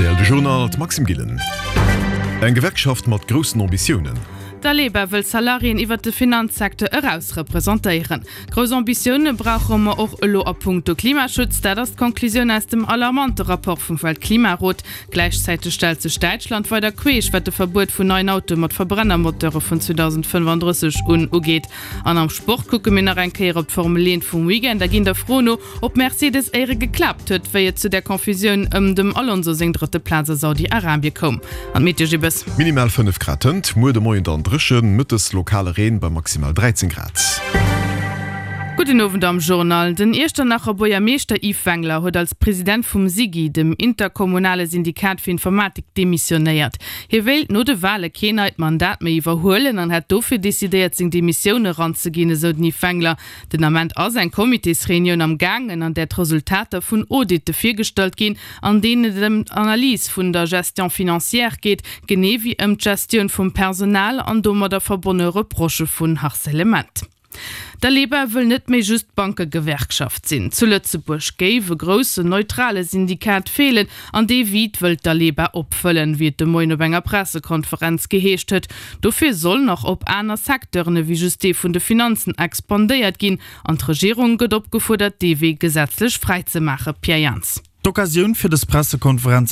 Rtl, De Journal, d'Maxime Gillen. Eng Gewerkschaft mat groussen Ambitiounen. D'Aleba wëll Salariéen iwwert de Finanzsecteur eraus representéieren. Grouss Ambitioune brauche mer och elo a punkto Klimaschutz. Dat ass d'Conclusioun aus dem alarmante Rapport vum Weltklimarot. Gläichzäiteg stellt sech Däitschland weider queesch, wat de Verbuet vun neien Autoe mat Verbrennermoteure vun 2035 un ugeet. An am Sport kucke mir nach eng Kéier op d'Formel 1 vum Weekend a ginn der Fro no, ob Mercedes éiere geklaapt huet, wéi et zu der Confusioun ëm dem Alonso seng drëtte Plaz a Saudi-Arabie koum. An d'Meteo Gibbes. Minimal 5 Grad hënt, muer de Moien dann dréchen, mëttes lokale Reen bei maximal 13 Grad. Gudden Owend am Journal. Den Iechternacher Buergermeeschter Yves Wengler huet als President vum SIGI, dem interkommunale Syndikat fir Informatik, demissionéiert. Hie wéilt no de Wale keen neit Mandat méi iwwerhuelen an hätt dofir decidéiert, seng Demissioun eranzeginn, esou den Yves Wengler. Den Ament ass eng Comitésreunioun am gaangen, an där d'Resultater vun Auditte virgestallt ginn, an deenen et ëm d'Analys vun der Gestion financière geet, genee wéi ëm d'Gestioun vum Personal an domadder verbonne Reprochë vun Harcèlement. D'Aleba wëll net méi just Bankegewerkschaft sinn. Zu Lëtzebuerg géif e groussen, neutrale Syndikat feelen an dee Vide wëllt d'Aleba opfëllen, wéi et de Moien op enger Pressekonferenz geheescht huet. Dofir soll nach op aner Secteuren ewéi just dee vun de Finanzen expandéiert ginn an d'Regierung gëtt opgefuerdert, dee Wee gesetzlech fräi ze maachen. Pierre Jans. D'Occasioun fir dës Pressekonferenz hat.